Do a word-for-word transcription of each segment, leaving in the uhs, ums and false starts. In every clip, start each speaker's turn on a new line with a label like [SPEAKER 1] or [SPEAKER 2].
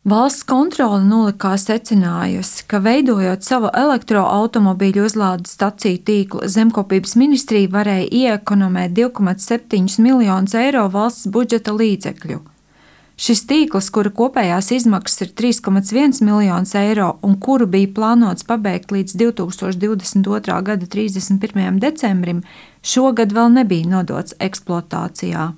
[SPEAKER 1] Valsts kontrole nolikā secinājusi, ka veidojot savu elektroautomobīļu uzlādes staciju tīklu, Zemkopības ministrija varēja ieekonomēt divi komats septiņi miljonus eiro valsts budžeta līdzekļu. Šis tīkls, kura kopējās izmaksas ir trīs komats viens miljonus eiro un kuru bija plānots pabeigt līdz divi tūkstoši divdesmit otrā gada trīsdesmit pirmajam decembrim, šogad vēl nebija nodots eksploatācijā.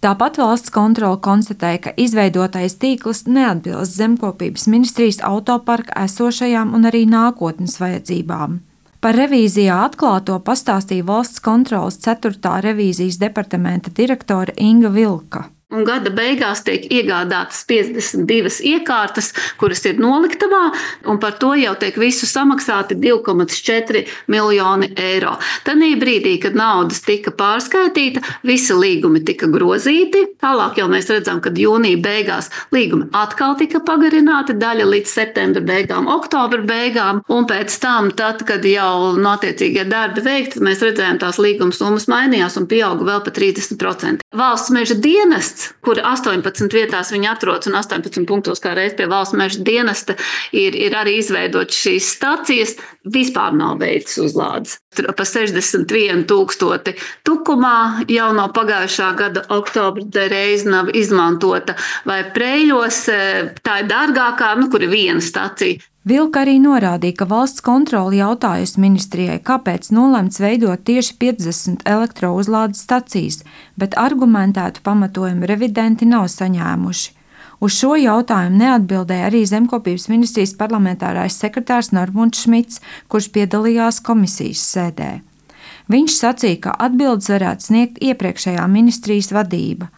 [SPEAKER 1] Tāpat valsts kontrole konstatēja, ka izveidotais tīkls neatbilst Zemkopības ministrijas autoparka esošajām un arī nākotnes vajadzībām. Par revīzijā atklāto pastāstīja valsts kontroles ceturtā revīzijas departamenta direktore Inga Vilka.
[SPEAKER 2] Un gada beigās tiek iegādātas piecdesmit divas iekārtas, kuras ir noliktavā, un par to jau tiek visu samaksāti divi komats četri miljoni eiro. Tanī brīdī, kad naudas tika pārskaitīta, visi līgumi tika grozīti. Tālāk jau mēs redzam, ka jūnija beigās līgumi atkal tika pagarināti, daļa līdz septembra beigām, oktobra beigām, un pēc tam, tad, kad jau notiecīgie darbi veikti, mēs redzējām, tās līguma summas mainījās un pieauga vēl pa trīsdesmit procenti. Valsts meža dienests, kur astoņpadsmit vietās viņi atrodas un astoņpadsmit punktos kā reiz pie valsts meža dienesta ir, ir arī izveidot šīs stacijas, vispār nav veicis uzlādes. Tur pa sešdesmit vienu tūkstoti Tukumā jau no pagājušā gada oktobra reiz nav izmantota, vai Preļos tā ir dārgākā, nu, kur ir viena stacija.
[SPEAKER 1] Vilka arī norādīja, ka valsts kontrole jautājusi ministrijai, kāpēc nolemts veidot tieši piecdesmit elektrouzlādes stacijas, bet argumentētu pamatojumu revidenti nav saņēmuši. Uz šo jautājumu neatbildēja arī Zemkopības ministrijas parlamentārais sekretārs Normons Šmits, kurš piedalījās komisijas sēdē. Viņš sacīja, ka atbildes varētu sniegt iepriekšējā ministrijas vadība.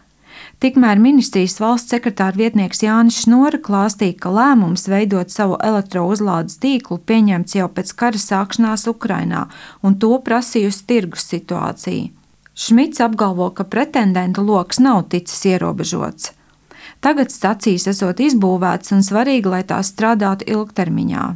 [SPEAKER 1] Tikmēr ministrijas valsts sekretāra vietnieks Jānis Šnora klāstīja, ka lēmums veidot savu elektrouzlādes tīklu pieņemts jau pēc kara sākšanās Ukrainā, un to prasījusi tirgus situācija. Šmits apgalvo, ka pretendentu loks nav ticis ierobežots. Tagad stacijas esot izbūvētas un svarīgi, lai tās strādātu ilgtermiņā.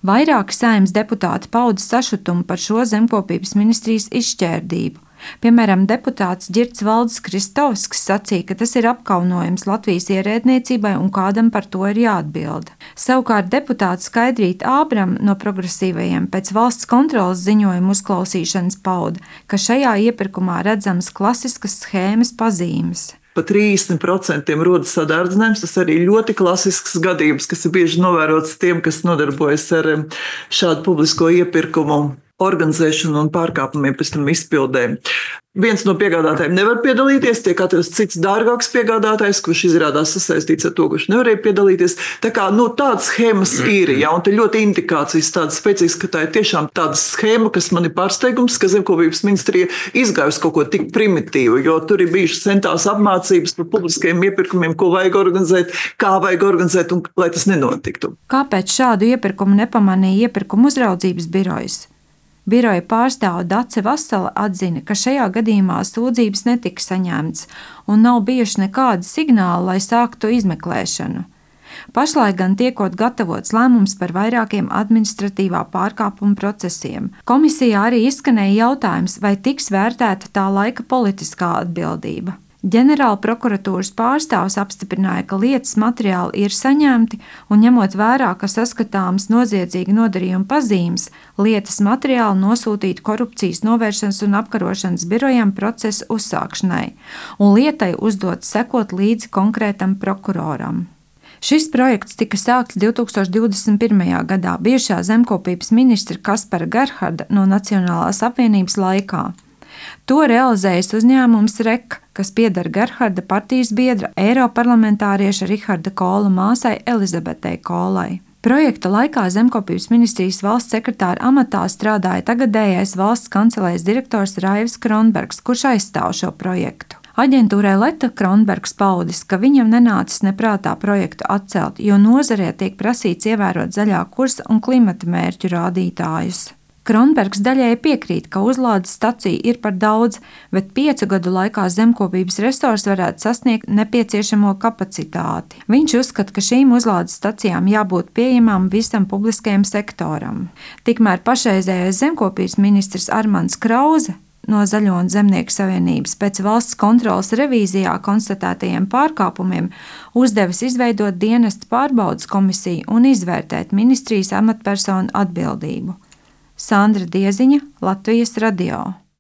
[SPEAKER 1] Vairāki Saeimas deputāti pauda sašutumu par šo Zemkopības ministrijas izšķērdību. Piemēram, deputāts Ģirds Valdis Kristovskis sacīja, ka tas ir apkaunojums Latvijas ierēdniecībai un kādam par to ir jāatbild. Savukārt deputāts Skaidrīta Ābrama no progresīvajiem pēc valsts kontroles ziņojuma uzklausīšanas pauda, ka šajā iepirkumā redzamas klasiskas schēmas pazīmes.
[SPEAKER 3] Pa trīsdesmit procentiem rodas sadārdzinājums. Tas arī ļoti klasisks gadījums, kas ir bieži novērots tiem, kas nodarbojas ar šādu publisko iepirkumu organizēšanu un pārkāpumiem pēc tam izpildēm. Viens no piegādātājiem nevar piedalīties, tiek atrasts cits dārgāks piegādātājs, kurš izrādās sasaistīts ar to, kurš nevarēja piedalīties. Tā kā, nu, tādas schēmas ir, ja, un te ļoti indikācijas tādas spēcīgas, ka tā ir tiešām tāda schēma, kas man ir pārsteigums, ka Zemkopības ministrija izgājusi kaut ko tik primitīvu, jo tur ir bijušas centās apmācības par publiskajiem iepirkumiem, ko vajag organizēt, kā vajag organizēt, un lai tas nenotiktu.
[SPEAKER 1] Kāpēc šādu iepirkumu nepamanīja iepirkuma uzraudzības birojas? Biroja pārstāve Dace Vasala atzina, ka šajā gadījumā sūdzības netika saņemtas un nav bijuši nekādi signāli, lai sāktu izmeklēšanu. Pašlaik gan tiekot gatavots lēmums par vairākiem administratīvā pārkāpuma procesiem. Komisijā arī izskanēja jautājums, vai tiks vērtēta tā laika politiskā atbildība. Ģenerāla prokuratūras pārstāvs apstiprināja, ka lietas materiāli ir saņemti un ņemot vērā, ka saskatāmas noziedzīga nodarījuma pazīmes, lietas materiāli nosūtīti korupcijas novēršanas un apkarošanas birojam procesa uzsākšanai un lietai uzdot sekot līdzi konkrētam prokuroram. Šis projekts tika sākts divi tūkstoši divdesmit pirmajā gadā bijušā Zemkopības ministra Kaspara Gerharda no Nacionālās apvienības laikā. To realizējas uzņēmums REK, kas pieder Gerharda partijas biedra eiroparlamentārieša Riharda Kola māsai Elizabetei Kolai. Projekta laikā Zemkopības ministrijas valsts sekretāra amatā strādāja tagadējais valsts kancelējas direktors Raivis Kronbergs, kurš aizstāv šo projektu. Aģentūrai Leta Kronbergs paudis, ka viņam nenācis neprātā projektu atcelt, jo nozarē tiek prasīts ievērot zaļā kursa un klimata mērķu rādītājus. Kronbergs daļēji piekrīt, ka uzlādes stacija ir par daudz, bet piecu gadu laikā Zemkopības resors varētu sasniegt nepieciešamo kapacitāti. Viņš uzskata, ka šīm uzlādes stacijām jābūt pieejamām visam publiskajam sektoram. Tikmēr pašreizējais Zemkopības ministrs Armands Krauze no Zaļo un Zemnieku savienības pēc valsts kontroles revīzijā konstatētajiem pārkāpumiem uzdevis izveidot dienesta pārbaudes komisiju un izvērtēt ministrijas amatpersonu atbildību. Sandra Dieziņa, Latvijas radio.